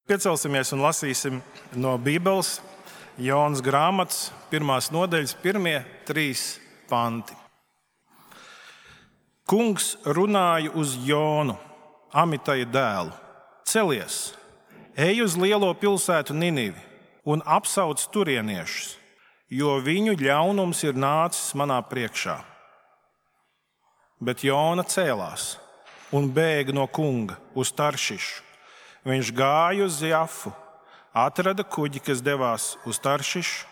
Piecelsimies un lasīsim no Bībeles Jonas grāmatas 1. nodaļas 1-3 panti. Kungs runāja uz Jonu, Amitaja dēlu. Celies, ej uz lielo pilsētu Ninivi un apsauc turieniešus, jo viņu ļaunums ir nācis manā priekšā. Bet Jona cēlās un bēga no kunga uz Taršišu. Viņš gāja uz Jafu, atrada kuģi, kas devās uz Taršišu,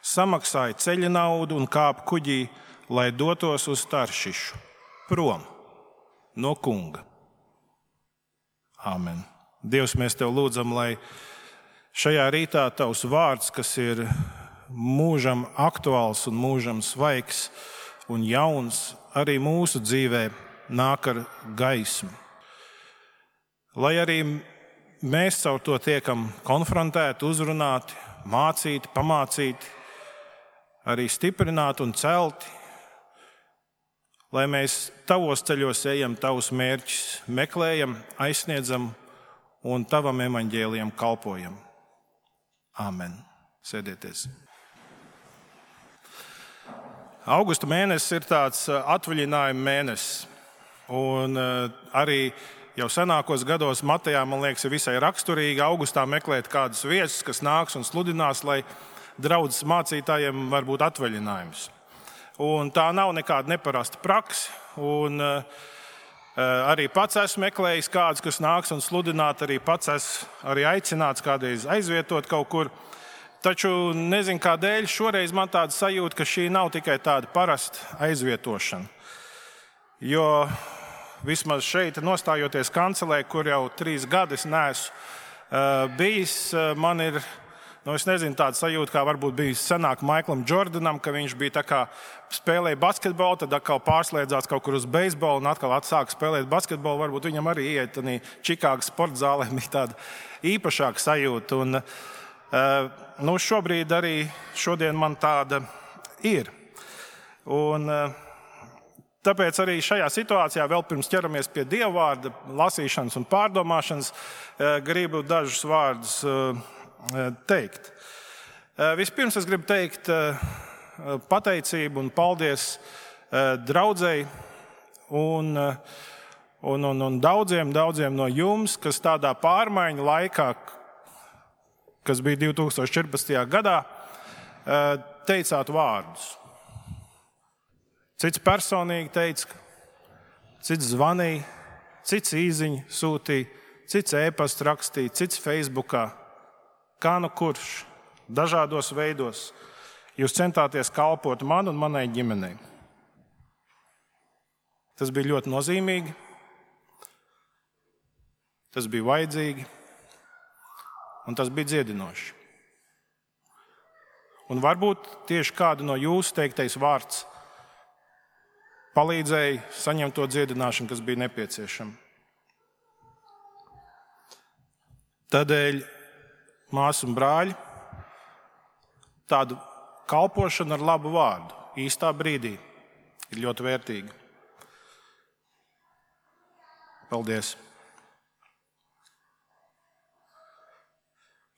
samaksāja ceļa naudu un kāpa kuģī, lai dotos uz Taršišu, prom no kunga. Āmen. Dievs, mēs tev lūdzam, lai šajā rītā tavs vārds, kas ir mūžam aktuāls un mūžam svaigs un jauns, arī mūsu dzīvē nāk ar gaismu. Lai arī mēs caur to tiekam konfrontēti, uzrunāti, mācīti, pamācīti, arī stiprināti un celti, lai mēs tavos ceļos ejam, tavus mērķus meklējam, aizsniedzam un tavam evaņģēlijam kalpojam. Āmen. Sēdieties. Augusta mēnesis ir tāds atvaļinājuma mēnesis, un arī jau senākos gados Matejā, man liekas, ir visai raksturīgi augustā meklēt kādus viesus, kas nāks un sludinās, lai draudzes mācītājiem var būt atvaļinājums. Un tā nav nekāda neparasta praksa. Un arī pats esmu meklējis kādus, kas nāks un sludināt, arī pats esmu arī aicināts kādreiz aizvietot kaut kur. Taču nezinu, kādēļ šoreiz man tāda sajūta, ka šī nav tikai tāda parasta aizvietošana. Jo vismaz šeit, nostājoties kancelē, kur jau 3 gadus neesmu bijis, man ir, es nezinu, tāda sajūta, kā varbūt bijis senāk Maiklam Jordanam, ka viņš bija tā kā spēlēja basketbolu, tad atkal pārslēdzās kaut kur uz beisbolu un atkal atsāka spēlēt basketbolu. Varbūt viņam arī iet tādā Čikāgas sporta zālē, bija tāda īpašāka sajūta. Un šobrīd arī šodien man tāda ir. Un tāpēc arī šajā situācijā, vēl pirms ķeramies pie Dieva vārda lasīšanas un pārdomāšanas, gribu dažus vārdus teikt. Vispirms es gribu teikt pateicību un paldies draudzei un daudziem no jums, kas tādā pārmaiņu laikā, kas bija 2014. gadā, teicāt vārdus. Cits personīgi teica, cits zvanīja, cits īziņu sūtīja, cits e-pastu rakstīja, cits Facebookā. Kā nu kurš, dažādos veidos jūs centāties kalpot man un manai ģimenei. Tas bija ļoti nozīmīgi, tas bija vajadzīgi un tas bija dziedinoši. Un varbūt tieši kādu no jūsu teiktais vārds palīdzēja saņemt to dziedināšanu, kas bija nepieciešama. Tādēļ, māsas un brāļi, tādu kalpošanu ar labu vārdu īstā brīdī ir ļoti vērtīga. Paldies!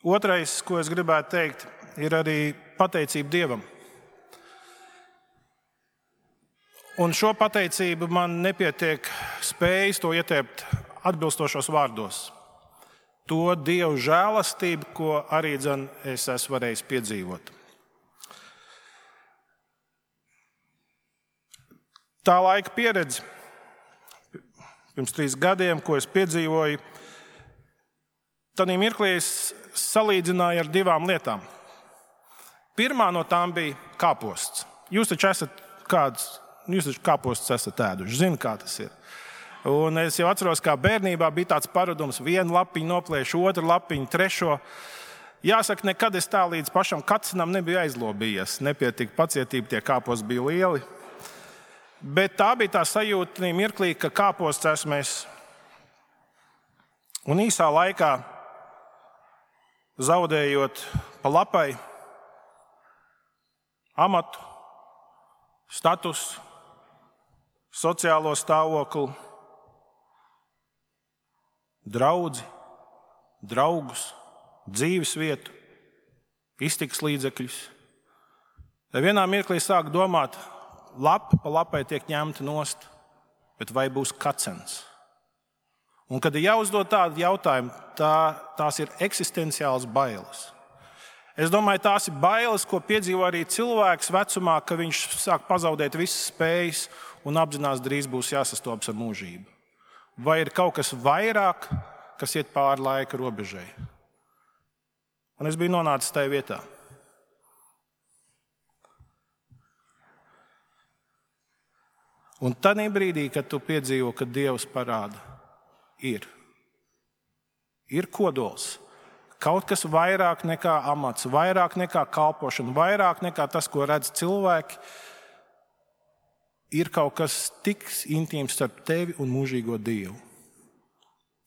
Otrais, ko es gribētu teikt, ir arī pateicība Dievam. Un šo pateicību man nepietiek spējas to ieteikt atbilstošos vārdos. To Dieva žēlastību, ko arī es esmu varējis piedzīvot. Tā laika pieredze, pirms 3 gadiem, ko es piedzīvoju, tādā mirklī es salīdzināju ar 2 lietām. Pirmā no tām bija kāposts. Jūs taču kāpostus esat ēduši, zinu, kā tas ir. Un es jau atceros, kā bērnībā bija tāds paradums, 1 lapiņu noplēšu, 2 lapiņu, 3. Jāsaka, nekad es tā līdz pašam kacinam nebiju aizlobījies. Nepietika pacietība, tie kāposti bija lieli. Bet tā bija tā sajūta mirklī, ka kāposts esmu es. Un īsā laikā, zaudējot pa lapai amatu, statusu, sociālo stāvokli, draudzi, draugus, dzīves vietu, iztikas līdzekļus. Tad vienā mirklī sāk domāt, lapa pa lapai tiek ņemta nost, bet vai būs kacens? Un, kad ir jāuzdod tādu jautājumu, tās ir eksistenciāls bailes. Es domāju, tās ir bailes, ko piedzīvo arī cilvēks vecumā, ka viņš sāk pazaudēt visas spējas un apzinās, drīz būs jāsastopas ar mūžību. Vai ir kaut kas vairāk, kas iet pāri laika robežai? Un es biju nonācis tajā vietā. Un tādā brīdī, kad tu piedzīvo, ka Dievs parāda, ir kodols. Kaut kas vairāk nekā amats, vairāk nekā kalpošana, vairāk nekā tas, ko redz cilvēki, ir kaut kas tik intīms starp tevi un mūžīgo Dievu.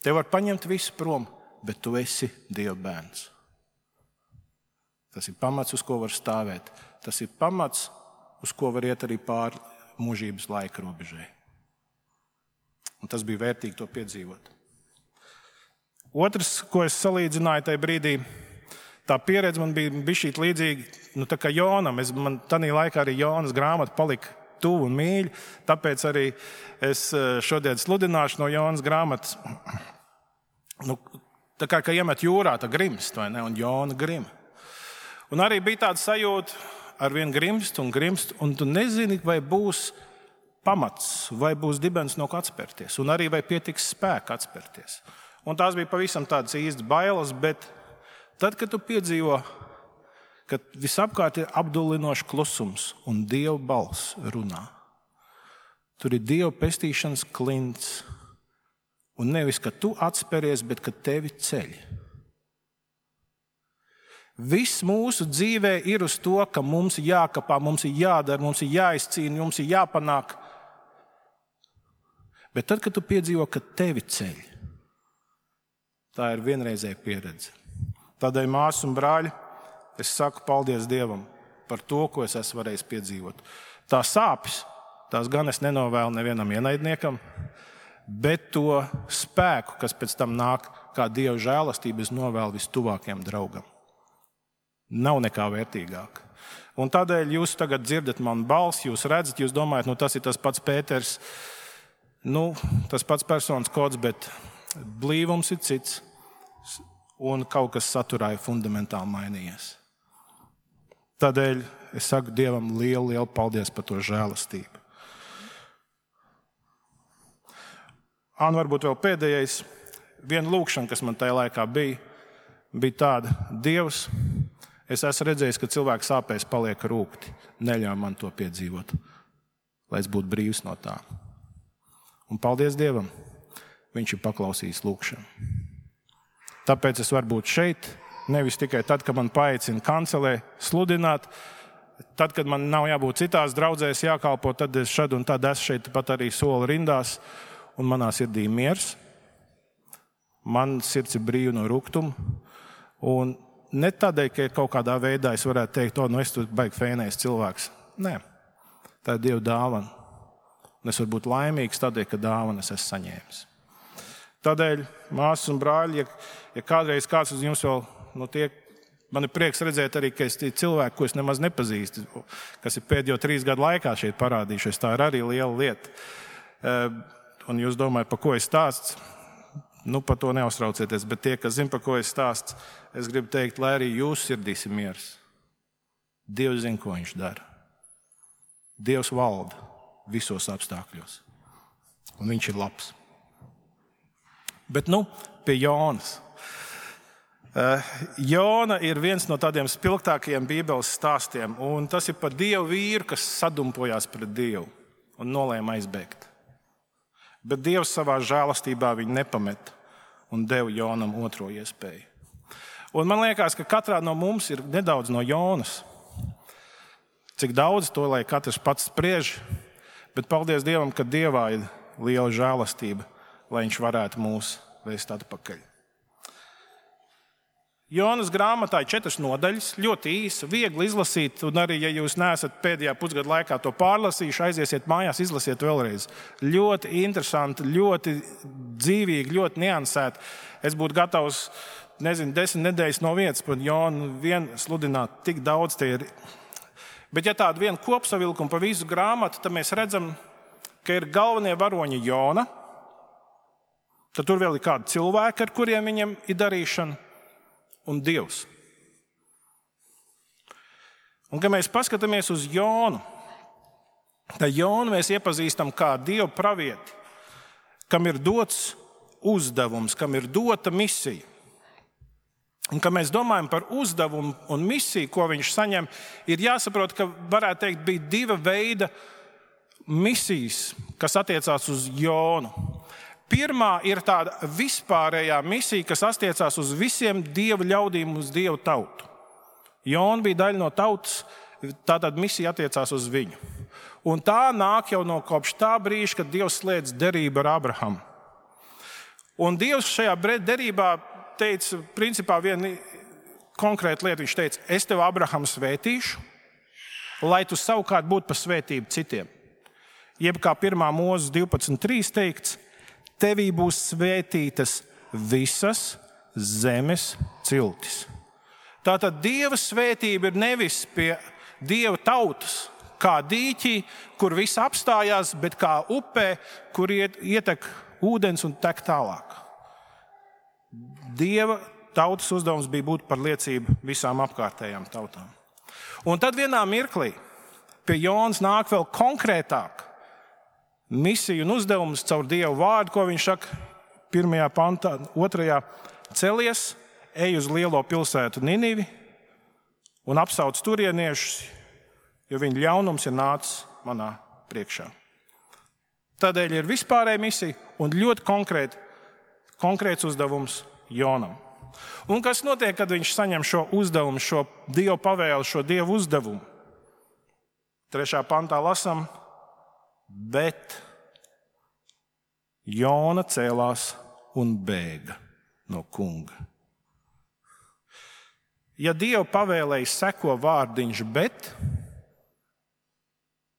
Tev var paņemt visu prom, bet tu esi Dieva bērns. Tas ir pamats, uz ko var stāvēt. Tas ir pamats, uz ko var iet arī pāri mūžības laika robežai. Un tas bija vērtīgi to piedzīvot. Otrs, ko es salīdzināju tajā brīdī, tā pieredze man bija bišķīt līdzīga, tā kā Jonam. Man tādā laikā arī Jonas grāmata palika tuvu un mīļa, tāpēc arī es šodien sludināšu no Jonas grāmatas. Tā kā iemet jūrā, tā grimst, vai ne? Un Jona grim. Un arī bija tāda sajūta, arvien grimst, un tu nezini, vai būs pamats, vai būs dibens no kā atspērties, un arī vai pietiks spēka atspērties. Un tās bija pavisam tādas īstas bailes, bet tad, kad tu piedzīvo, ka visapkārt ir apdullinošs klusums un Dieva balss runā, tur ir Dieva pestīšanas klints, un nevis, ka tu atspēries, bet ka tevi ceļ. Viss mūsu dzīvē ir uz to, ka mums ir jākapā, mums ir jādara, mums ir jāizcīna, mums ir jāpanāk. Bet tad, kad tu piedzīvo, ka tevi ceļ, tā ir vienreizēja pieredze. Tādēļ, māsas un brāļi, es saku paldies Dievam par to, ko es esmu varējis piedzīvot. Tā sāpes, tās gan es nenovēlu nevienam ienaidniekam, bet to spēku, kas pēc tam nāk kā Dieva žēlastība, es novēlu vistuvākajam draugam. Nav nekā vērtīgāk. Un tādēļ jūs tagad dzirdat manu balsi, jūs redzat, jūs domājat, tas ir tas pats Pēters, tas pats personas kods, bet blīvums ir cits. Un kaut kas saturā ir fundamentāli mainījies. Tādēļ es saku Dievam lielu paldies par to žēlastību. Varbūt vēl pēdējais, viena lūkšana, kas man tajā laikā bija tāda: Dievs, es esmu redzējis, ka cilvēks sāpēs paliek rūgti. Neļauj man to piedzīvot, lai es būtu brīvs no tā. Un paldies Dievam, viņš ir paklausījis lūkšanu. Tāpēc es varu būt šeit, nevis tikai tad, kad man paaicina kancelē sludināt, tad, kad man nav jābūt citās draudzēs jākalpo, tad es šad un tad esmu šeit pat arī soli rindās, un manā sirdī miers. Man sirds ir brīva no rūgtuma, un ne tādēļ, ka kaut kādā veidā es varētu teikt, es tur baigi fēnējis cilvēks. Nē, tā ir Dieva dāvana. Un es varu būt laimīgs tādēļ, ka dāvana es esmu saņēmis. Tādēļ, māsas un brāļi, ja kādreiz kāds uz jums vēl man ir prieks redzēt arī, ka es cilvēku, ko es nemaz nepazīstu, kas ir pēdējo 3 gadu laikā šeit parādījušies, tā ir arī liela lieta. Un jūs domājat, par ko es stāstu? Par to neuztraucieties, bet tie, kas zina, par ko es stāstu, es gribu teikt, lai arī jūsu sirdīs ir miers. Dievs zina, ko viņš dara. Dievs valda visos apstākļos. Un viņš ir labs. Bet pie Jonas. Jona ir viens no tādiem spilgtākajiem Bībeles stāstiem, un tas ir par Dievu vīru, kas sadumpojās pret Dievu un nolēma aizbēgt. Bet Dievs savā žēlastībā viņu nepameta un deva Jonam otro iespēju. Un man liekas, ka katrā no mums ir nedaudz no Jonas. Cik daudz, to lai katrs pats spriež, bet paldies Dievam, ka Dievā ir liela žēlastība, lai viņš varētu mūs vēst atpakaļ. Jonas grāmatā ir 4 nodaļas, ļoti īsa, viegli izlasīt, un arī, ja jūs neesat pēdējā pusgada laikā to pārlasījuši, aiziesiet mājās, izlasiet vēlreiz. Ļoti interesanti, ļoti dzīvīgi, ļoti niansēti. Es būtu gatavs 10 nedēļas no vietas par Jonu vien sludināt, tik daudz tie ir. Bet ja tādu vienu kopsavilkumu pa visu grāmatu, tad mēs redzam, ka ir galvenie varoņi Jona, tad tur vēl ir kādi cilvēki, ar kuriem viņam ir darīšana, un Dievs. Un, kad mēs paskatāmies uz Jonu, tad Jonu mēs iepazīstam kā Dieva pravieti, kam ir dots uzdevums, kam ir dota misija. Un, kad mēs domājam par uzdevumu un misiju, ko viņš saņem, ir jāsaprot, ka, varētu teikt, bija diva veida misijas, kas attiecās uz Jonu. Pirmā ir tāda vispārējā misija, kas attiecās uz visiem Dieva ļaudīm, uz Dieva tautu. Jona bija daļa no tautas, tātad misija attiecās uz viņu. Un tā nāk jau no kopš tā brīža, kad Dievs slēdz derību ar Abrahamu. Un Dievs šajā derībā teica, principā vienu konkrētu lietu. Viņš teica, es tev, Abrahamu, svētīšu, lai tu savukārt būtu par svētību citiem. Jeb kā 1. Mūzes 12.3 teikts, tevī būs svētītas visas zemes ciltis. Tātad Dieva svētība ir nevis pie Dieva tautas, kā dīķī, kur viss apstājās, bet kā upē, kur ietek ūdens un tek tālāk. Dieva tautas uzdevums bija būt par liecību visām apkārtējām tautām. Un tad vienā mirklī pie Jonas nāk vēl konkrētāk misija un uzdevums caur Dieva vārdu, ko viņš saka 1. pantā, 2. celies, ej uz lielo pilsētu Ninivi un apsauc turieniešus, jo viņa ļaunums ir nācis manā priekšā. Tādēļ ir vispārēja misija un ļoti konkrēts uzdevums Jonam. Un kas notiek, kad viņš saņem šo uzdevumu, šo Dieva pavēli, šo Dieva uzdevumu? 3. pantā lasām, bet Jona cēlās un bēga no kunga. Ja Dieva pavēlēji seko vārdiņš, bet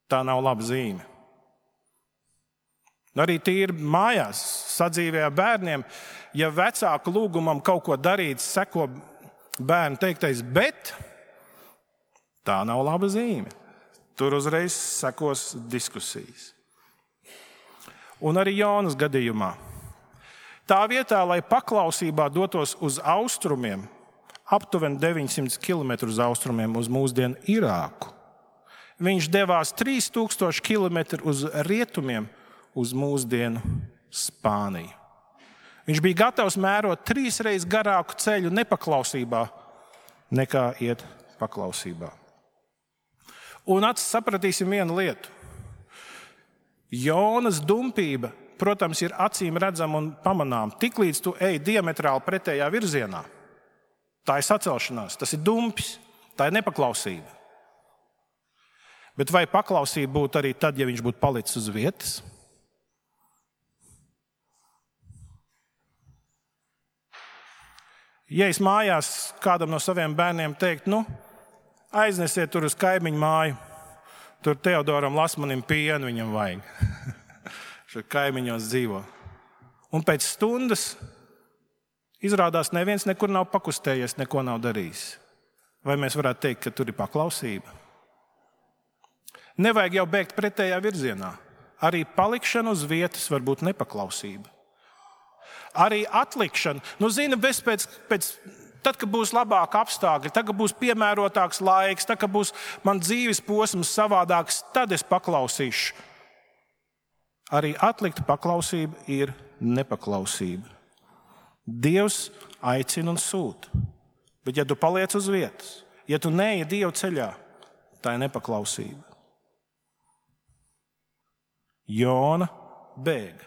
tā nav laba zīme. Arī tīri mājās, sadzīvē ar bērniem, ja vecāku lūgumam kaut ko darīt, seko bērnu teiktais, bet tā nav laba zīme. Tur uzreiz sekos diskusijas. Un arī Jonas gadījumā. Tā vietā, lai paklausībā dotos uz austrumiem, aptuveni 900 km uz austrumiem uz mūsdienu Irāku, viņš devās 3000 km uz rietumiem uz mūsdienu Spāniju. Viņš bija gatavs mērot 3 reizes garāku ceļu nepaklausībā, nekā iet paklausībā. Un sapratīsim vienu lietu. Jonas dumpība, protams, ir acīm redzama un pamanām. Tiklīdz tu ej diametrāli pretējā virzienā, tā ir sacelšanās, tas ir dumpis, tā ir nepaklausība. Bet vai paklausība būtu arī tad, ja viņš būtu palicis uz vietas? Ja es mājās kādam no saviem bērniem teiktu, aiznesiet tur uz kaimiņu māju, tur Teodoram Lasmanim pienu viņam vajag. Šeit kaimiņos dzīvo. Un pēc stundas izrādās neviens nekur nav pakustējies, neko nav darījis. Vai mēs varētu teikt, ka tur ir paklausība? Nevajag jau bēgt pretējā virzienā. Arī palikšana uz vietas var būt nepaklausība. Arī atlikšana. Zini, tad, kad būs labāki apstākļi, tad, kad būs piemērotāks laiks, tad, kad būs man dzīves posms savādāks, tad es paklausīšu. Arī atlikta paklausība ir nepaklausība. Dievs aicina un sūta. Bet ja tu paliec uz vietas, ja tu neej Dieva ceļā, tā ir nepaklausība. Jona bēga.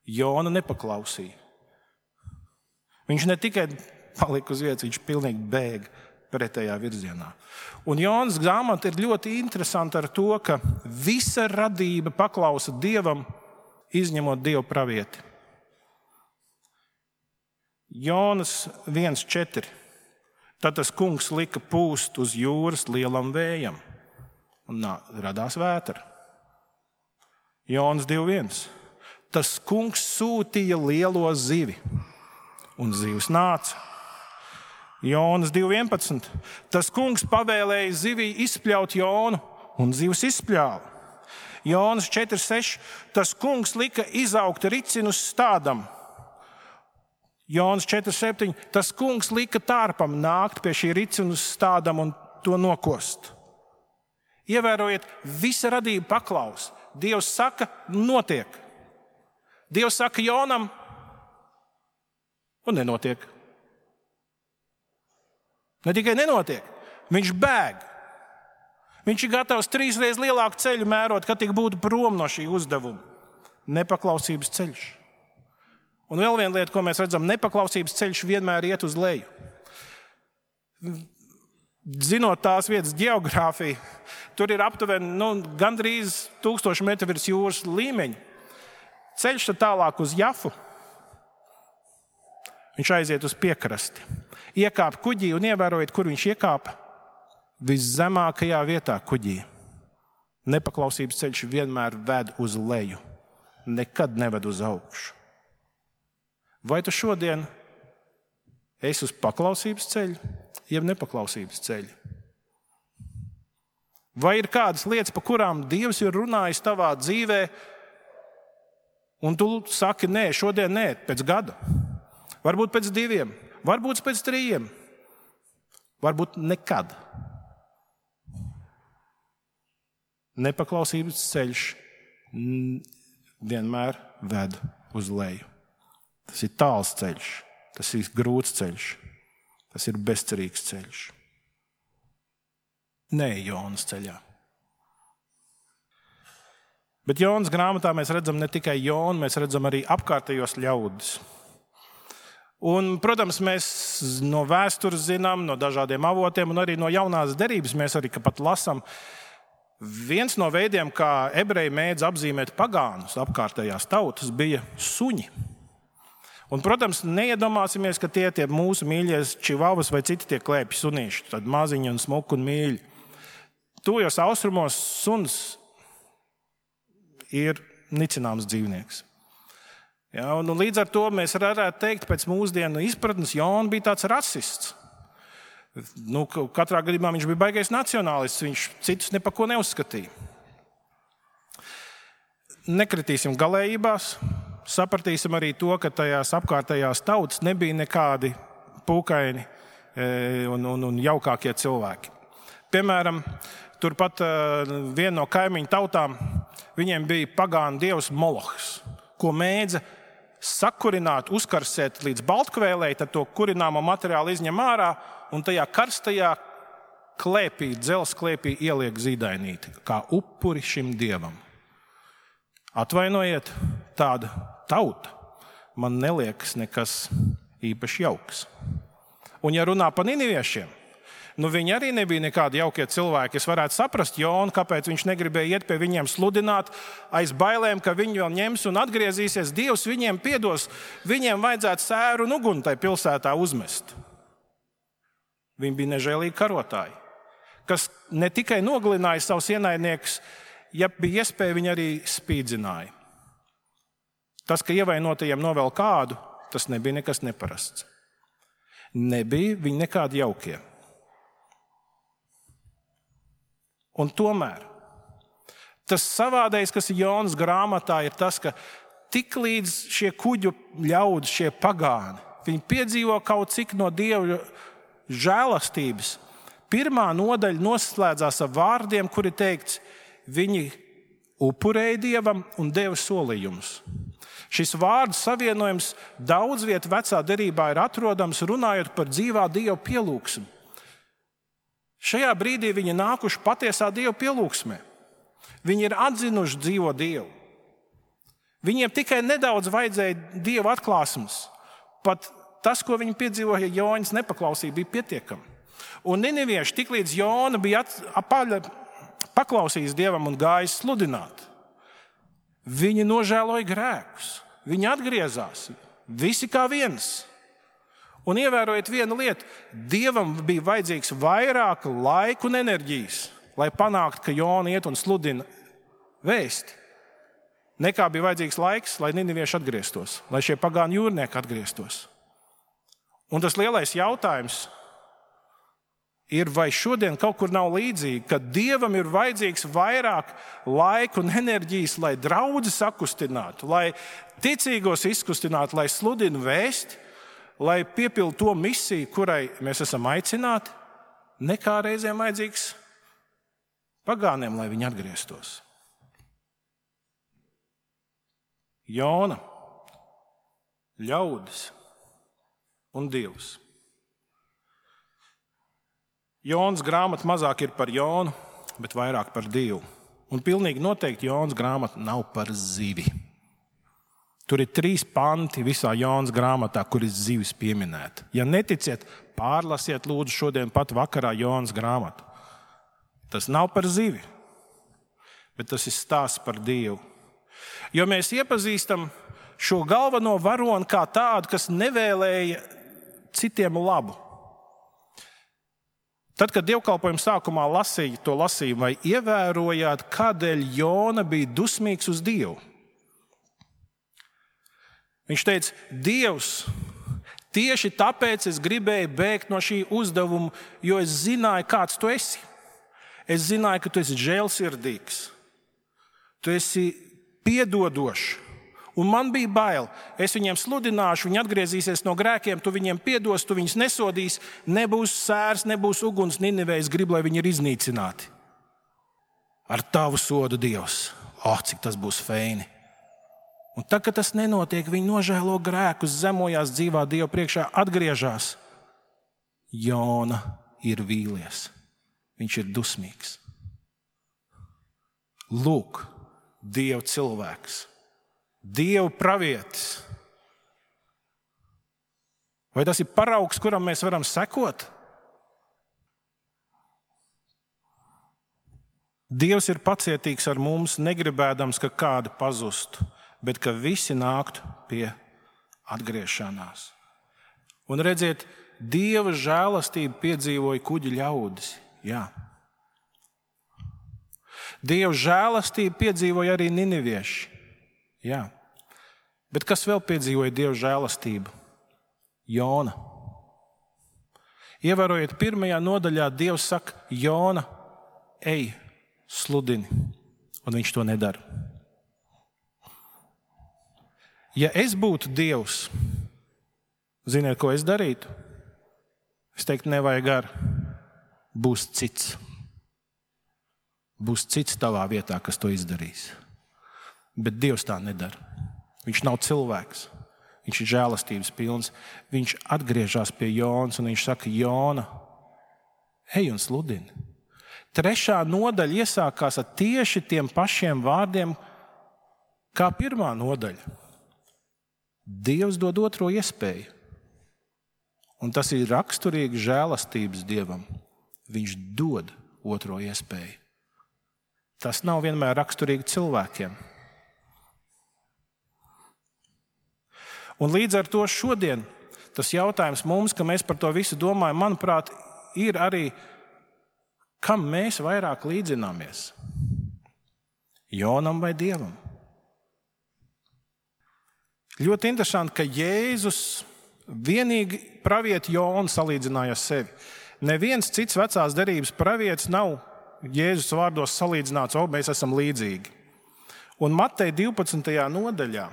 Jona nepaklausīja. Viņš ne tikai palika uz vietas, viņš pilnīgi bēga pretējā virzienā. Un Jonas grāmata ir ļoti interesanta ar to, ka visa radība paklausa Dievam, izņemot Dieva pravieti. Jonas 1.4. Tad tas kungs lika pūst uz jūras lielam vējam, un radās vētra. Jonas 2.1. Tas kungs sūtīja lielo zivi, un zivs nāca. Jonas 2.11. Tas kungs pavēlēja zivī izspļaut Jonu, un zivs izspļāva. Jonas 4.6. Tas kungs lika izaugt ricinu uz stādam. Jonas 4.7. Tas kungs lika tārpam nākt pie šī ricinu uz stādam un to nokost. Ievērojiet, visa radība paklaus. Dievs saka, notiek. Dievs saka Jonam, un nenotiek. Ne tikai nenotiek, viņš bēg. Viņš ir gatavs 3 reizes lielāku ceļu mērot, kad tik būtu prom no šī uzdevuma. Nepaklausības ceļš. Un vēl viena lieta, ko mēs redzam, nepaklausības ceļš vienmēr iet uz leju. Zinot tās vietas geogrāfiju, tur ir aptuveni gandrīz 1000 metru virs jūras līmeņa. Ceļš tad tālāk uz Jafu. Viņš aiziet uz piekrasti. Iekāp kuģī un ievērojiet, kur viņš iekāpa. Viszemākajā vietā kuģī. Nepaklausības ceļš vienmēr ved uz leju. Nekad neved uz augšu. Vai tu šodien esi uz paklausības ceļu, jeb nepaklausības ceļu? Vai ir kādas lietas, pa kurām Dievs ir runājis tavā dzīvē, un tu saki, nē, šodien nē, pēc gada? Varbūt pēc 2, varbūt pēc 3, varbūt nekad. Nepaklausības ceļš vienmēr ved uz leju. Tas ir tāls ceļš, tas ir grūts ceļš, tas ir bezcerīgs ceļš. Nē, Jonas ceļā. Bet Jonas grāmatā mēs redzam ne tikai Jonu, mēs redzam arī apkārtējos ļaudis. Un, protams, mēs no vēstures zinām, no dažādiem avotiem un arī no jaunās derības mēs arī pat lasām. Viens no veidiem, kā ebreji mēdz apzīmēt pagānus, apkārtējās tautas, bija suņi. Un, protams, neiedomāsimies, ka tie mūsu mīļie čivavas vai citi tie klēpji sunīši, tad maziņi un smuki un mīļi. Tuvajos austrumos suns ir nicināms dzīvnieks. Ja, un līdz ar to mēs varētu teikt, pēc mūsdienu izpratnes, Jona bija tāds rasists. Katrā gadījumā viņš bija baigais nacionālists, viņš citus ne par ko neuzskatīja. Nekritīsim galējībās, sapratīsim arī to, ka tajās apkārtējās tautas nebija nekādi pūkaini un jaukākie cilvēki. Piemēram, turpat viena no kaimiņu tautām, viņiem bija pagānu dievs Molohs, ko mēdza sakurināt, uzkarsēt līdz baltkvēlei, tad to kurināmo materiālu izņem ārā un tajā karstajā klēpī, dzelzs klēpī ieliek zīdainīti, kā upuri šim dievam. Atvainojiet, tāda tauta man neliekas nekas īpaši jauks. Un ja runā par niniviešiem, viņi arī nebija nekādi jaukie cilvēki. Es varētu saprast Jonu, kāpēc viņš negribēja iet pie viņiem sludināt, aiz bailēm, ka viņi vēl ņems un atgriezīsies. Dievs viņiem piedos, viņiem vajadzētu sēru un uguni tai pilsētā uzmest. Viņi bija nežēlīgi karotāji, kas ne tikai nogalināja savus ienaidniekus, ja bija iespēja, viņi arī spīdzināja. Tas, ka ievainotajiem novēl kādu, tas nebija nekas neparasts. Nebija viņi nekādi jaukie. Un tomēr tas savādais, kas ir Jonas grāmatā, ir tas, ka tik līdz šie kuģu ļaudis, šie pagāni, viņi piedzīvo kaut cik no Dieva žēlastības. Pirmā nodaļa noslēdzās ar vārdiem, kuri teikts, viņi upurēja Dievam un deva solījumus. Šis vārdu savienojums daudz viet vecā derībā ir atrodams, runājot par dzīvā Dieva pielūgsmu. Šajā brīdī viņi nākuši patiesā Dieva pielūgsmē. Viņi ir atzinuši dzīvo Dievu. Viņiem tikai nedaudz vajadzēja Dieva atklāsmes. Pat tas, ko viņi piedzīvoja Jonas nepaklausība, bija pietiekami. Un ninivieši tiklīdz Jona bija paklausījis Dievam un gājis sludināt, viņi nožēloja grēkus. Viņi atgriezās. Visi kā viens. Un ievērojiet vienu lietu, Dievam bija vajadzīgs vairāk laika un enerģijas, lai panāktu, ka Jona iet un sludina vēsti, nekā bija vajadzīgs laiks, lai ninivieši atgrieztos, lai šie pagānu jūrnieki atgrieztos. Un tas lielais jautājums, ir, vai šodien kaut kur nav līdzīgi, ka Dievam ir vajadzīgs vairāk laika un enerģijas, lai draudzi sakustinātu, lai ticīgos izkustinātu, lai sludinu vēsti, lai piepildu to misiju, kurai mēs esam aicināti, nekā reizēm vajadzīgs pagāniem, lai viņi atgrieztos. Jona, ļaudis un Dievs. Jonas grāmata mazāk ir par Jonu, bet vairāk par Dievu. Un pilnīgi noteikti Jonas grāmata nav par zivi. Tur ir 3 panti visā Jonas grāmatā, kur ir zivis pieminēta. Ja neticiet, pārlasiet lūdzu šodien pat vakarā Jonas grāmatu. Tas nav par zivi, bet tas ir stāsts par Dievu. Jo mēs iepazīstam šo galveno varoni kā tādu, kas nevēlēja citiem labu. Tad, kad dievkalpojuma sākumā lasīja to lasījumu, vai ievērojāt, kādēļ Jona bija dusmīgs uz Dievu? Viņš teica, Dievs, tieši tāpēc es gribēju bēgt no šī uzdevuma, jo es zināju, kāds tu esi. Es zināju, ka tu esi žēlsirdīgs. Tu esi piedodošs. Un man bija bail. Es viņiem sludināšu, viņi atgriezīsies no grēkiem, tu viņiem piedos, tu viņus nesodīsi, nebūs sērs, nebūs uguns Ninivē, es gribu, lai viņi ir iznīcināti. Ar tavu sodu, Dievs. Cik tas būs feini. Un tad, kad tas nenotiek, viņi nožēlo grēkus, zemojās dzīvā Dieva priekšā, atgriežas. Jona ir vīlies. Viņš ir dusmīgs. Lūk, Dieva cilvēks. Dieva pravietis. Vai tas ir paraugs, kuram mēs varam sekot? Dievs ir pacietīgs ar mums, negribēdams, ka kādi pazustu, bet ka visi nāktu pie atgriešanās. Un redziet, Dieva žēlastību piedzīvoja kuģi ļaudis. Jā. Dieva žēlastību piedzīvoja arī ninivieši. Jā. Bet kas vēl piedzīvoja Dieva žēlastību? Jona. Ievērojiet, 1. nodaļā Dievs saka, Jona, ej, sludini, un viņš to nedara. Ja es būtu Dievs, ziniet, ko es darītu? Es teiktu, nevajag gar, būs cits. Būs cits tavā vietā, kas to izdarīs. Bet Dievs tā nedara. Viņš nav cilvēks. Viņš ir žēlastības pilns. Viņš atgriežas pie Jonas un viņš saka, Jona, ej un sludini. 3. nodaļa iesākās ar tieši tiem pašiem vārdiem, kā 1. nodaļa. Dievs dod otro iespēju. Un tas ir raksturīgi žēlastības Dievam. Viņš dod otro iespēju. Tas nav vienmēr raksturīgi cilvēkiem. Un līdz ar to šodien tas jautājums mums, ka mēs par to visu domājam, manuprāt, ir arī, kam mēs vairāk līdzināmies? Jonam vai Dievam? Ļoti interesanti, ka Jēzus vienīgi pravieti Jonu salīdzināja ar sevi. Neviens cits vecās derības pravietis nav Jēzus vārdos salīdzināts, mēs esam līdzīgi. Un Mateja 12. nodaļā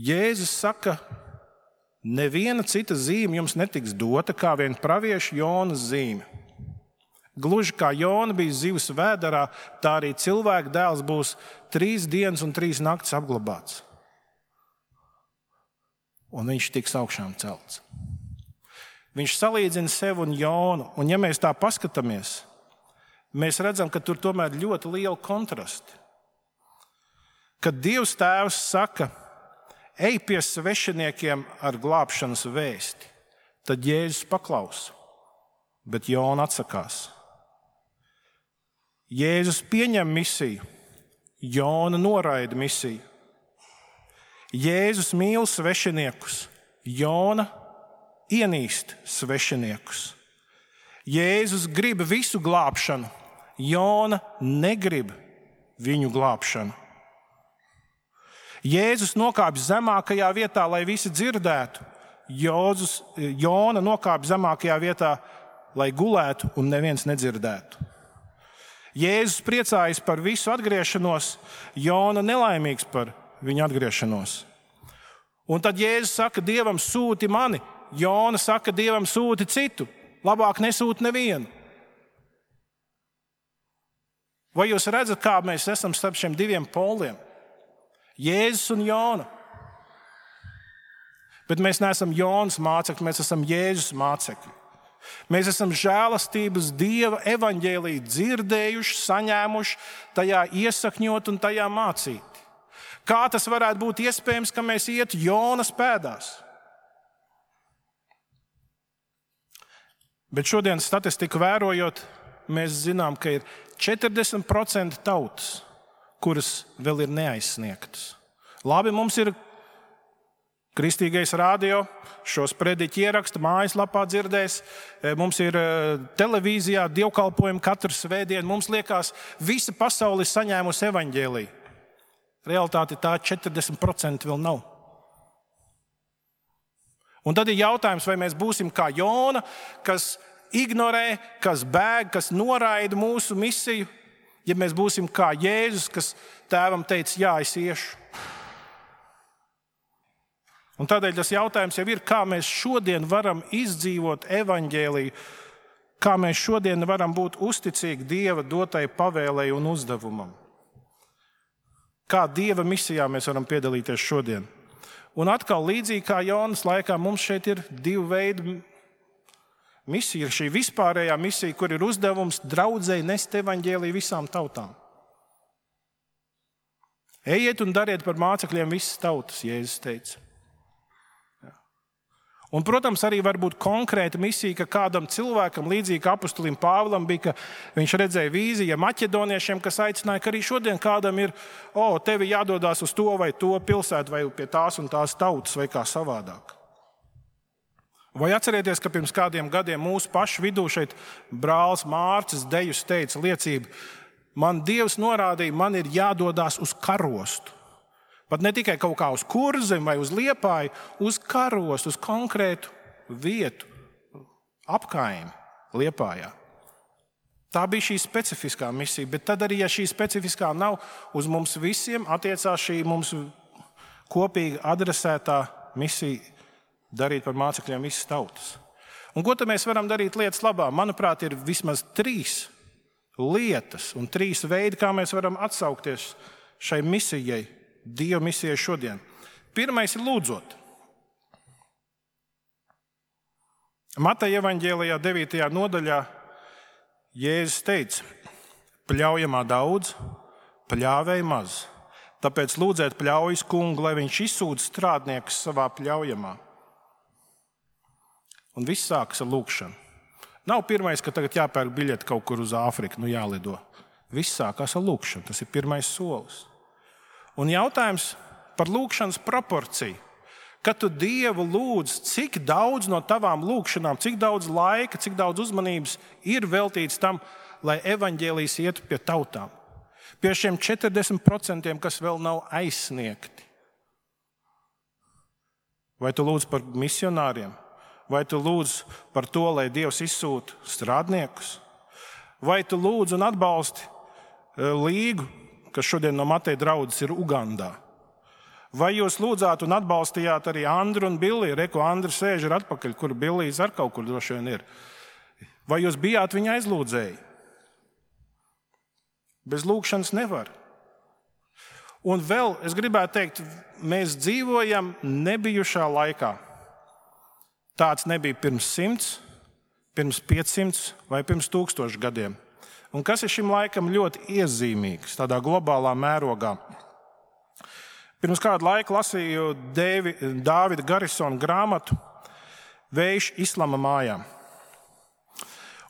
Jēzus saka, neviena cita zīme jums netiks dota, kā vien pravieša Jonas zīme. Gluži kā Jona bija zivs vēderā, tā arī cilvēka dēls būs 3 dienas un 3 naktis apglabāts. Un viņš tiks augšām celts. Viņš salīdzina sevi un Jonu, un ja mēs tā paskatāmies, mēs redzam, ka tur tomēr ļoti liela kontrasti. Kad Dievs tēvs saka, ej pie svešiniekiem ar glābšanas vēsti, tad Jēzus paklausa, bet Jona atsakās. Jēzus pieņem misiju, Jona noraida misiju. Jēzus mīl svešiniekus, Jona ienīst svešiniekus. Jēzus grib visu glābšanu, Jona negrib viņu glābšanu. Jēzus nokāpj zemākajā vietā, lai visi dzirdētu, Jona nokāpa zemākajā vietā, lai gulētu un neviens nedzirdētu. Jēzus priecājas par visu atgriešanos, Jona nelaimīgs par viņa atgriešanos. Un tad Jēzus saka, Dievam sūti mani, Jona saka, Dievam sūti citu, labāk nesūti nevienu. Vai jūs redzat, kā mēs esam starp šiem diviem poliem? Jēzus un Jona. Bet mēs neesam Jonas mācekļi, mēs esam Jēzus mācekļi. Mēs esam žēlastības Dieva evaņģēliju dzirdējuši, saņēmuši, tajā iesakņot un tajā mācīt. Kā tas varētu būt iespējams, ka mēs ietu Jonas pēdās? Bet šodien statistiku vērojot, mēs zinām, ka ir 40% tautas, kuras vēl ir neaizsniegtas. Labi, mums ir Kristīgais radio, šos prediķi ieraksta, mājaslapā dzirdēs, mums ir televīzijā dievkalpojumi katru svētdienu. Mums liekas, visa pasaule ir saņēmusi evaņģēliju. Realitāte tā 40% vēl nav. Un tad ir jautājums, vai mēs būsim kā Jona, kas ignorē, kas bēg, kas noraida mūsu misiju, ja mēs būsim kā Jēzus, kas tēvam teica, jā, es iešu. Un tādēļ tas jautājums jau ir, kā mēs šodien varam izdzīvot evaņģēliju, kā mēs šodien varam būt uzticīgi Dieva dotai pavēlei un uzdevumam. Kā Dieva misijā mēs varam piedalīties šodien. Un atkal līdzīgi kā Jonas laikā, mums šeit ir divu veidu misija. Ir šī vispārējā misija, kur ir uzdevums draudzei nest evaņģēliju visām tautām. Ejiet un dariet par mācekļiem visas tautas, Jēzus teica. Un, protams, arī var būt konkrēta misija, ka kādam cilvēkam, līdzīgi apostolim Pāvilam, bija, ka viņš redzēja vīziju maķedoniešiem, kas aicināja, ka arī šodien kādam ir, tevi jādodās uz to vai to pilsētu, vai pie tās un tās tautas, vai kā savādāk. Vai atcerieties, ka pirms kādiem gadiem mūsu pašu vidū šeit brālis Mārcis Dejus teica liecību, man Dievs norādīja, man ir jādodās uz karostu. Pat ne tikai kaut kā uz Kurzemi vai uz Liepāju, uz karostu, uz konkrētu vietu, apkaimi Liepājā. Tā bija šī specifiskā misija, bet tad arī, ja šī specifiskā nav, uz mums visiem attiecās šī mums kopīgi adresētā misija darīt par mācekļiem visas tautas. Un ko tad mēs varam darīt lietas labā? Manuprāt, ir vismaz 3 lietas un 3 veidi, kā mēs varam atsaukties šai misijai, Dieva misijai šodien. Pirmais ir lūdzot. Mateja evaņģēlijā 9. nodaļā Jēzus teica, pļaujamā daudz, pļāvēja maz. Tāpēc lūdziet pļaujas kungu, lai viņš izsūta strādniekus savā pļaujamā. Un viss sākas ar lūgšanu. Nav pirmais, ka tagad jāpērk biļeti kaut kur uz Āfriku, jālido. Viss sākās ar lūgšanu. Tas ir pirmais solis. Un jautājums par lūgšanas proporciju. Kad tu Dievu lūdz, cik daudz no tavām lūgšanām, cik daudz laika, cik daudz uzmanības ir veltīts tam, lai evaņģēlijs ietu pie tautām. Pie šiem 40%, kas vēl nav aizsniegti. Vai tu lūdz par misionāriem? Vai tu lūdz par to, lai Dievs izsūta strādniekus? Vai tu lūdz un atbalsti līgu, kas šodien no Mateja draudzes ir Ugandā? Vai jūs lūdzāt un atbalstījāt arī Andru un Billiju? Reku Andra sēž ir atpakaļ, kur Billijs ar kaut kur droši vien ir. Vai jūs bijāt viņa aizlūdzēji? Bez lūgšanas nevar. Un vēl es gribētu teikt, mēs dzīvojam nebijušā laikā. Tāds nebija pirms 100, pirms 500 vai pirms 1000 gadiem. Un kas ir šim laikam ļoti iezīmīgs tādā globālā mērogā? Pirms kādu laiku lasīju Dāvida Garisona grāmatu Vējš islama mājām.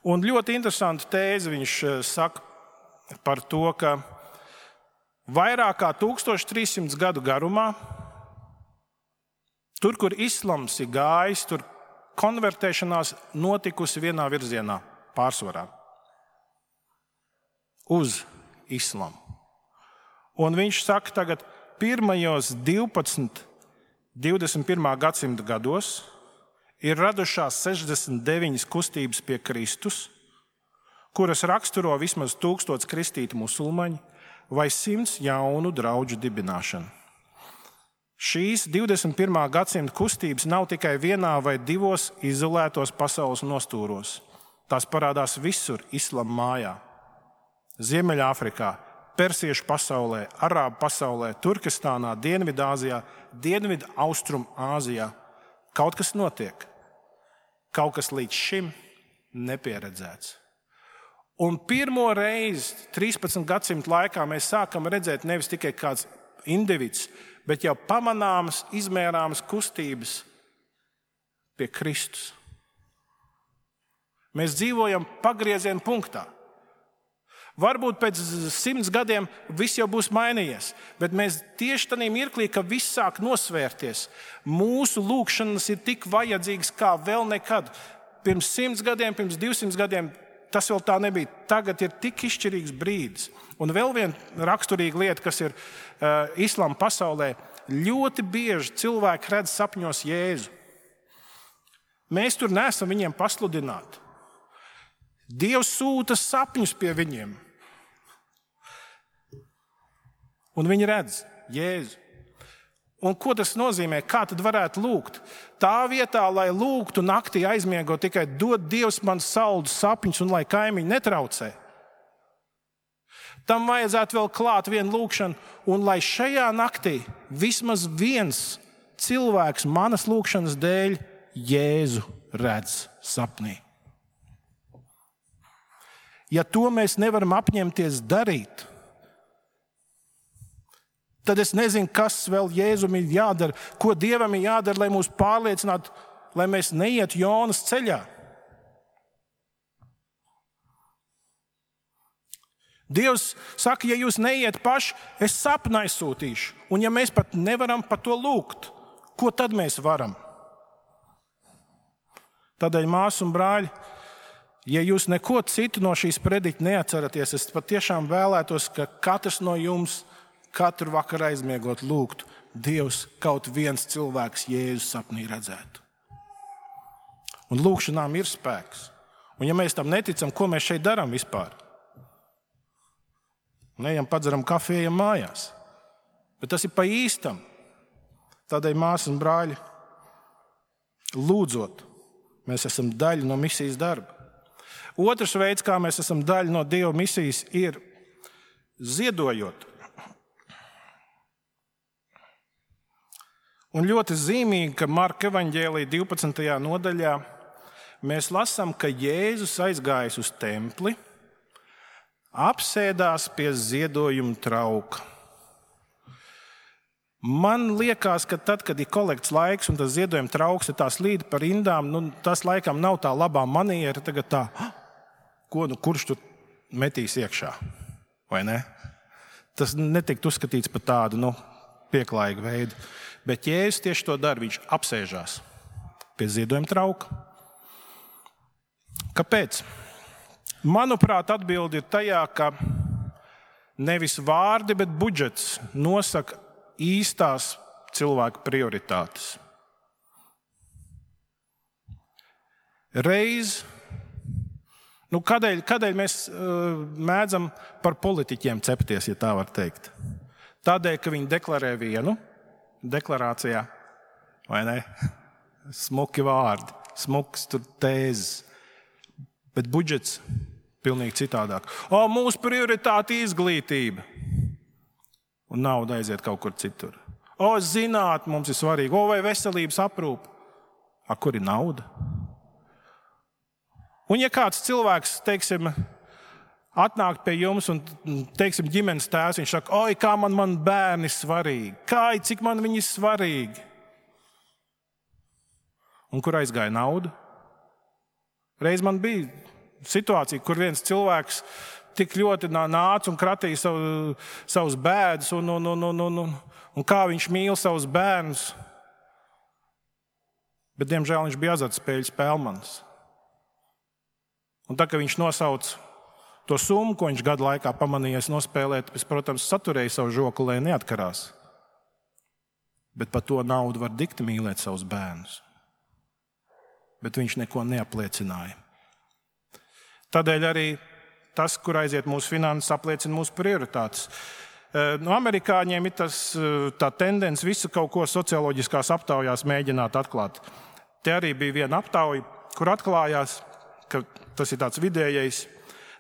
Un ļoti interesantu tēzi viņš saka par to, ka vairāk kā 1300 gadu garumā, tur, kur islams ir gājis, tur konvertēšanās notikusi vienā virzienā pārsvarā. Uz islamu. Un viņš saka, tagad pirmajos 12, 21. gadsimta gados ir radušās 69 kustības pie Kristus, kuras raksturo vismaz 1000 kristīti musulmaņi vai 100 jaunu draudžu dibināšana. Šīs 21. gadsimta kustības nav tikai vienā vai divos izolētos pasaules nostūros. Tās parādās visur islama mājā. Ziemeļāfrikā, Persiešu pasaulē, Arābu pasaulē, Turkestānā, Dienvidāzijā, Dienvidu-Austrumāzijā. Kaut kas notiek. Kaut kas līdz šim nepieredzēts. Un pirmo reizi 13 gadsimtu laikā mēs sākam redzēt nevis tikai kāds individs, bet jau pamanāmas, izmērāmas kustības pie Kristus. Mēs dzīvojam pagrieziena punktā. Varbūt pēc 100 gadiem viss jau būs mainījies, bet mēs tieši tajā mirklī, ka viss sāk nosvērties, mūsu lūkšanas ir tik vajadzīgas kā vēl nekad. Pirms 100 gadiem, pirms 200 gadiem tas vēl tā nebija. Tagad ir tik izšķirīgs brīdis. Un vēl viena raksturīga lieta, kas ir islāma pasaulē, ļoti bieži cilvēki redz sapņos Jēzu. Mēs tur neesam viņiem pasludināti. Dievs sūta sapņus pie viņiem. Un viņi redz Jēzu. Un ko tas nozīmē? Kā tad varētu lūgt? Tā vietā, lai lūgtu naktī aizmiegot, tikai dod Dievs man saldus sapņus un lai kaimiņi netraucē. Tam vajadzētu vēl klāt vienu lūgšanu, un lai šajā naktī vismaz viens cilvēks manas lūgšanas dēļ Jēzu redz sapnī. Ja to mēs nevaram apņemties darīt, tad es nezinu, kas vēl Jēzum ir jādara, ko Dievam ir jādara, lai mūs pārliecinātu, lai mēs neietu Jonas ceļā. Dievs saka, ja jūs neiet paši, es sapnā aizsūtīšu. Un ja mēs pat nevaram par to lūgt, ko tad mēs varam? Tādēļ, māsas un brāļi, ja jūs neko citu no šīs prediķa neatceraties, es patiešām vēlētos, ka katrs no jums katru vakaru aizmiegot lūgtu, Dievs kaut viens cilvēks Jēzus sapnī redzētu. Un lūgšanām ir spēks. Un ja mēs tam neticam, ko mēs šeit darām vispār? Neejam padzeram kafiju, ejam mājās. Bet tas ir pa īstam. Tādēļ, māsas un brāļi, lūdzot, mēs esam daļa no misijas darba. Otrs veids, kā mēs esam daļa no Dieva misijas, ir ziedojot. Un ļoti zīmīgi, ka Marka evaņģēlija 12. nodaļā mēs lasām, ka Jēzus aizgājis uz templi, apsēdās pie ziedojuma trauka. Man liekas, ka tad, kad ir kolekts laiks un tas ziedojuma trauks ir tās līd par rindām, tas laikam nav tā labā maniera, tagad tā, kurš tur metīs iekšā, vai ne? Tas netikt uzskatīts par tādu, pieklājīgu veidu. Bet Jēzus tieši to dara, viņš apsēžās pie ziedojuma trauka. Kāpēc? Manuprāt, atbilde ir tajā, ka nevis vārdi, bet budžets nosaka īstās cilvēka prioritātes. Reiz, kādēļ mēs mēdzam par politiķiem cepties, ja tā var teikt? Tādēļ, ka viņi deklarē vienu deklarācijā, vai ne? Smuki vārdi, smuks tur tēzes, bet budžets pilnīgi citādāk. Mūsu prioritāte izglītība. Un nauda aiziet kaut kur citur. Zinātne mums ir svarīga. Vai veselības aprūpe. Kur ir nauda? Un ja kāds cilvēks, teiksim, atnāk pie jums un, teiksim, ģimenes tēvs, viņš saka, kā man bērni svarīgi. Cik man viņi svarīgi. Un kur aizgāja nauda? Reiz man bija situācija, kur viens cilvēks tik ļoti nāca un kratīja savus bēdus un kā viņš mīl savus bērnus. Bet, diemžēl, viņš bija azartspēļu spēlmanis. Un tā, ka viņš nosauca to summu, ko viņš gadu laikā pamanījies nospēlēt, es, protams, saturēju savu žokli, lai neatkarās. Bet par to naudu var dikti mīlēt savus bērnus. bet viņš neko neapliecināja. Tādēļ arī tas, kur aiziet mūsu finanses, apliecina mūsu prioritātes. No amerikāņiem ir tā tendence visu kaut ko socioloģiskās aptaujās mēģināt atklāt. Te arī bija viena aptauja, kur atklājās, ka tas ir tāds vidējais.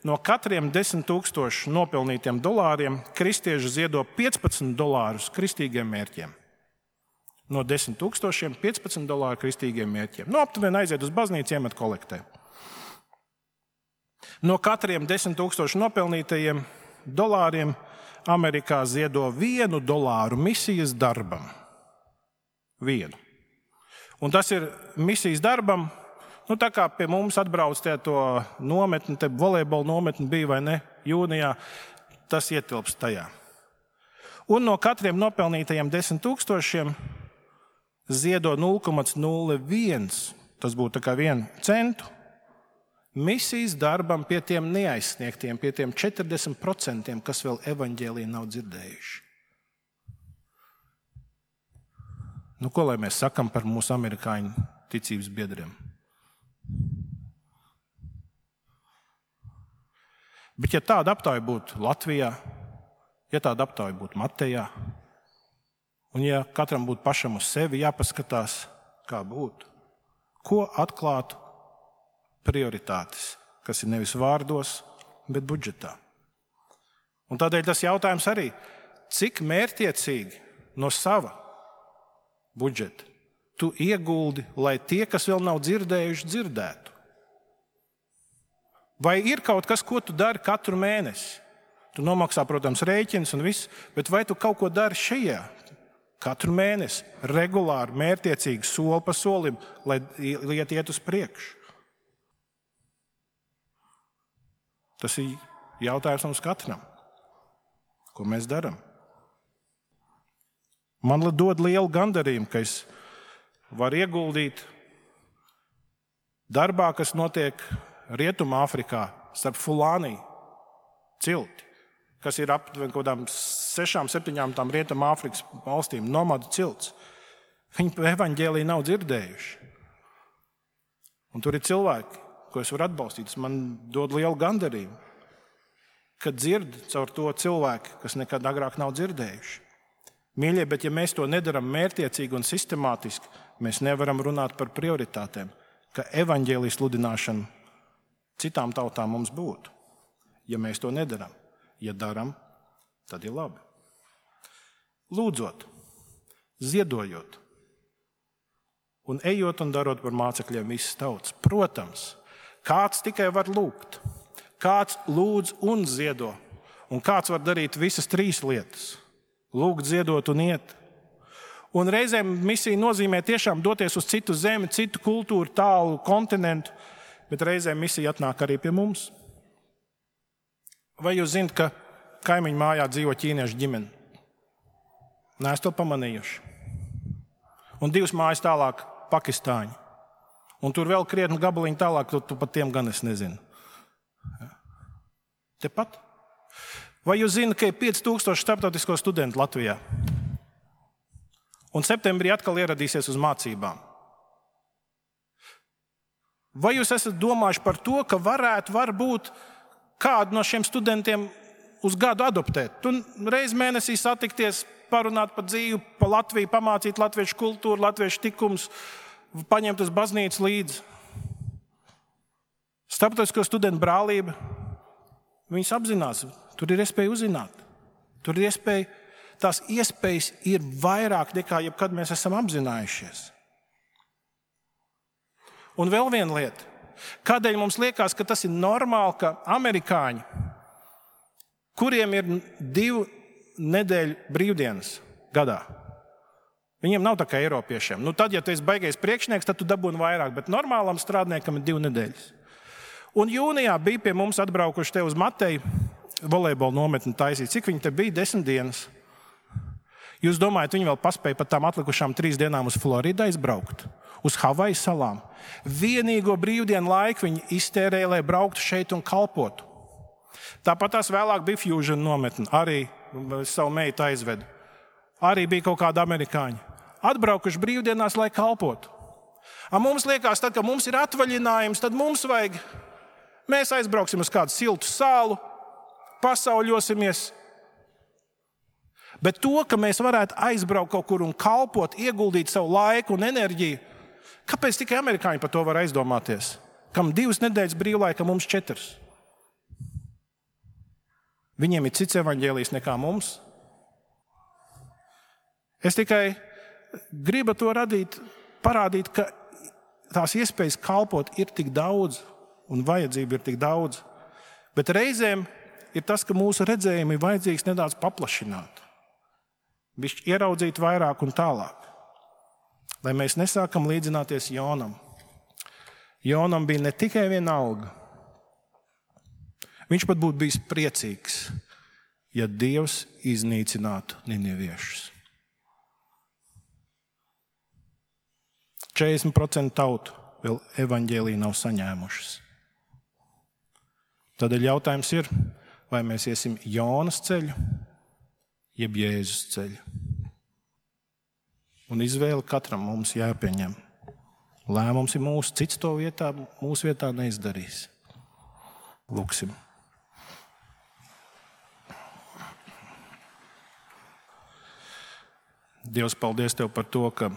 No katriem 10 000 nopelnītiem dolāriem kristieši ziedo $15 kristīgiem mērķiem. No 10 000 $15 kristīgiem mērķiem. Aptuveni aiziet uz baznīcu, iemet kolektē. No katriem 10 000 nopelnītajiem dolāriem Amerikā ziedo $1 misijas darbam. Vienu. Un tas ir misijas darbam, tā kā pie mums atbrauc to nometni, te volejbola nometni bija vai ne, jūnijā, tas ietilpst tajā. Un no katriem nopelnītajiem 10 000 ziedo 0,01, tas būtu tā kā 1 centu, misijas darbam pie tiem neaizsniegtiem, pie tiem 40%, kas vēl evaņģēliju nav dzirdējuši. Ko lai mēs sakam par mūsu amerikāņu ticības biedriem? Bet ja tāda aptauja būtu Latvijā, ja tāda aptauja būtu Matejā, un ja katram būtu pašam uz sevi jāpaskatās, kā būtu, ko atklātu prioritātes, kas ir nevis vārdos, bet budžetā. Un tādēļ tas jautājums arī, cik mērķiecīgi no sava budžeta tu ieguldi, lai tie, kas vēl nav dzirdējuši, dzirdētu? Vai ir kaut kas, ko tu dari katru mēnesi? Tu nomaksā, protams, rēķins un viss, bet vai tu kaut ko dari šajā? Katru mēnesi, regulāri, mērķiecīgi, soli pa solim, lai lieta iet uz priekšu. Tas ir jautājums mums katram. Ko mēs darām? Man dod lielu gandarījumu, ka es varu ieguldīt darbā, kas notiek Rietumāfrikā starp Fulānī cilti, kas ir aptuveni kaut kādām 6-7 tām Rietumāfrikas valstīm, nomadu cilts. Viņi evaņģēliju nav dzirdējuši. Un tur ir cilvēki, ko es varu atbalstīt. Man dod lielu gandarījumu, kad dzird caur to cilvēku, kas nekad agrāk nav dzirdējuši. Mīļie, bet ja mēs to nedaram mērķiecīgi un sistemātiski, mēs nevaram runāt par prioritātēm, ka evaņģēlijas sludināšana citām tautām mums būtu. Ja mēs to nedaram, ja daram, tad ir labi. Lūdzot, ziedojot un ejot un darot par mācekļiem visas tautas. Protams, kāds tikai var lūgt, kāds lūdz un ziedo, un kāds var darīt visas 3 lietas. Lūgt, ziedot un iet. Un reizēm misija nozīmē tiešām doties uz citu zemi, citu kultūru, tālu kontinentu, bet reizēm misija atnāk arī pie mums. Vai jūs zināt, ka kaimiņu mājā dzīvo ķīniešu ģimene? Neesat to pamanījuši. Un 2 mājas tālāk pakistāņi. Un tur vēl krietni gabaliņi tālāk, tu pat tiem gan es nezinu. Tepat. Vai jūs zināt, ka ir 5000 starptautisko studentu Latvijā? Un septembrī atkal ieradīsies uz mācībām. Vai jūs esat domājuši par to, ka varbūt kādu no šiem studentiem uz gadu adoptēt? Tu reiz mēnesī satikties, parunāt par dzīvi, pa Latviju, pamācīt latviešu kultūru, latviešu tikumus, paņemt uz baznīcu līdzi. Starptautisko studentu brālība, viņas apzinās, tur ir iespēja uzzināt. Tur ir iespēja, tās iespējas ir vairāk nekā jebkad mēs esam apzinājušies. Un vēl viena lieta. Kādēļ mums liekas, ka tas ir normāli, ka amerikāņi, kuriem ir 2 nedēļu brīvdienas gadā, viņiem nav tā kā eiropiešiem. Tad, ja tu esi baigais priekšnieks, tad tu dabūni vairāk, bet normālam strādniekam ir 2 nedēļas. Un jūnijā bija pie mums atbraukuši te uz Mateju volejbola nometni taisīt. Cik viņi te bija? 10 dienas. Jūs domājat, viņi vēl paspēja pat tām atlikušām 3 dienām uz Floridu aizbraukt? Uz Havaju salām? Vienīgo brīvdienu laiku viņi iztērēja, lai brauktu šeit un kalpotu. Tāpat tās vēlāk bija Fusion nometne. Arī savu meitu aizvedu. Arī bija kaut kādi amerikāņi. Atbraukuši brīvdienās, lai kalpotu. Mums liekas, tad, kad mums ir atvaļinājums, tad mēs aizbrauksim uz kādu siltu salu, pasauļosimies. Bet to, ka mēs varētu aizbraukt kaut kur un kalpot, ieguldīt savu laiku un enerģiju, kāpēc tikai amerikāņi par to var aizdomāties? Kam 2 nedēļas brīvlaika, mums 4. Viņiem ir cits evaņģēlijs nekā mums. Es tikai gribu to parādīt, ka tās iespējas kalpot ir tik daudz un vajadzība ir tik daudz. Bet reizēm ir tas, ka mūsu redzējumi ir vajadzīgs nedaudz paplašināt. Bišķi ieraudzīt vairāk un tālāk. Lai mēs nesākam līdzināties Jonam. Jonam bija ne tikai viena alga. Viņš pat būtu bijis priecīgs, ja Dievs iznīcinātu niniviešus. 40% tautu vēl evaņģēliju nav saņēmušas. Tādēļ jautājums ir, vai mēs iesim Jonas ceļu, jeb Jēzus ceļu. Un izvēle katram mums jāpieņem. Lēmums ir mūsu, cits to mūsu vietā neizdarīs. Lūksim. Dievs, paldies Tev par to, ka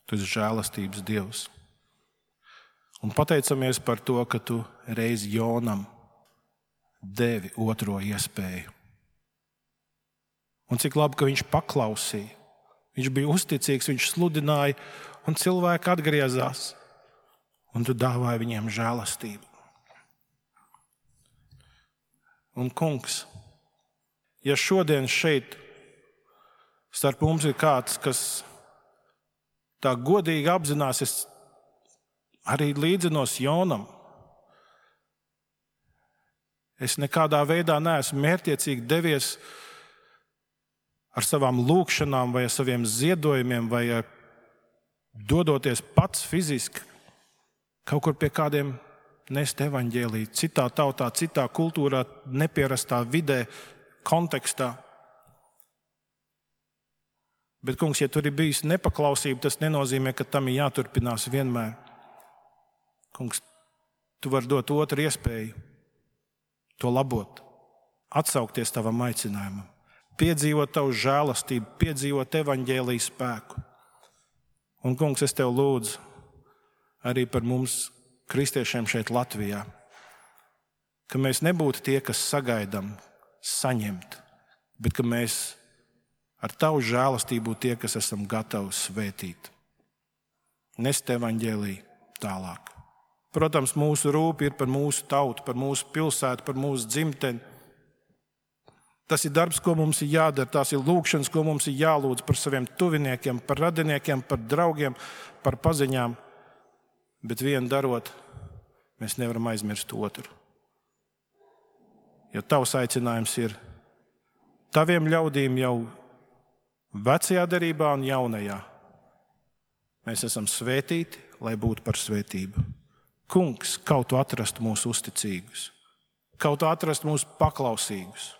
Tu esi žēlastības Dievs. Un pateicamies par to, ka Tu reiz Jonam devi otro iespēju. Un cik labi, ka viņš paklausīja. Viņš bija uzticīgs, viņš sludināja, un cilvēki atgriezās. Un Tu dāvāji viņiem žēlastību. Un, Kungs, ja šodien šeit starp mums ir kāds, kas tā godīgi apzinās, es arī līdzinos Jonam. Es nekādā veidā neesmu mērķiecīgi devies ar savām lūkšanām vai ar saviem ziedojumiem vai dodoties pats fiziski kaut kur pie kādiem nest evaņģēliju, citā tautā, citā kultūrā, nepierastā vidē, kontekstā. Bet, Kungs, ja tur ir bijis nepaklausība, tas nenozīmē, ka tam ir jāturpinās vienmēr. Kungs, Tu vari dot otru iespēju, to labot, atsaukties Tavam aicinājumam, piedzīvot Tavu žēlastību, piedzīvot evaņģēlijas spēku. Un, Kungs, es Tev lūdzu arī par mums, kristiešiem šeit Latvijā, ka mēs nebūtu tie, kas sagaidām saņemt, bet ka mēs ar Tavu žēlastību tie, kas esam gatavi svētīt. Nest evaņģēliju tālāk. Protams, mūsu rūpi ir par mūsu tautu, par mūsu pilsētu, par mūsu dzimteni. Tas ir darbs, ko mums ir jādara, tās ir lūkšanas, ko mums ir jālūdz par saviem tuviniekiem, par radiniekiem, par draugiem, par paziņām. Bet vienu darot, mēs nevaram aizmirst otru. Jo Tavs aicinājums ir Taviem ļaudīm jau vecajā derībā un jaunajā. Mēs esam svētīti, lai būtu par svētību. Kungs, kaut tu atrastu mūs uzticīgus, kaut tu atrastu mūs paklausīgus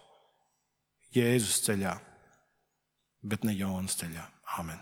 Jēzus ceļā, bet ne Jonas ceļā. Āmen.